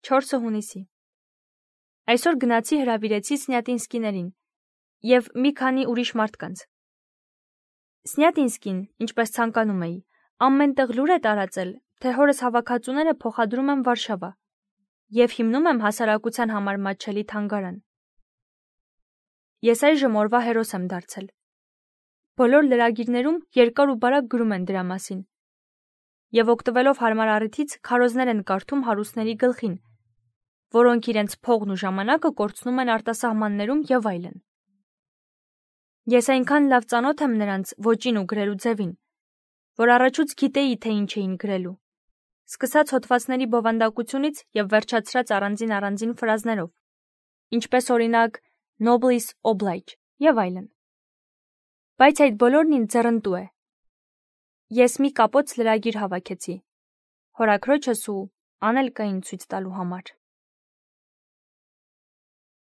4 հունիսի։ Այսօր գնացի հրավիրեցի Սնյատինսկիներին և մի քանի ուրիշ մարդկանց։ Սնյատինսկին, ինչպես ցանկանում էի, ամենտեղ լուր է տարածել, թե հորս հավաքածուները փոխադրում եմ Վարշավա և հիմնում եմ հասարակության համար մատչելի թանգարան։ Ես այժմ օրվա հերոս եմ դարձել։ Բոլոր լրագիրներում երկար ու բարակ գրում են դրա մասին և օգտվելով հարմար առիթից քարոզներ են կարդում հարուստների գլխին, որոնք իրենց փողն ու ժամանակը կորցնում են արտասահմաններում և այլն։ Ես այնքան լավ ծանոթ եմ նրանց ոճին ու գրելու ձևին, որ առաջուց գիտեի, թե ինչ էին գրելու, սկսած հոդվածների բովանդակությունից և վերջացրած առանձին ֆրազներով, ինչպես օրինակ Noblesse oblige և այլն։ Բայց այդ բոլորն ինձ ձեռնտու է։ Ես մի կապոց լրագիր հավաքեցի հորաքրոջս ու Անելկային ցույց տալու համար։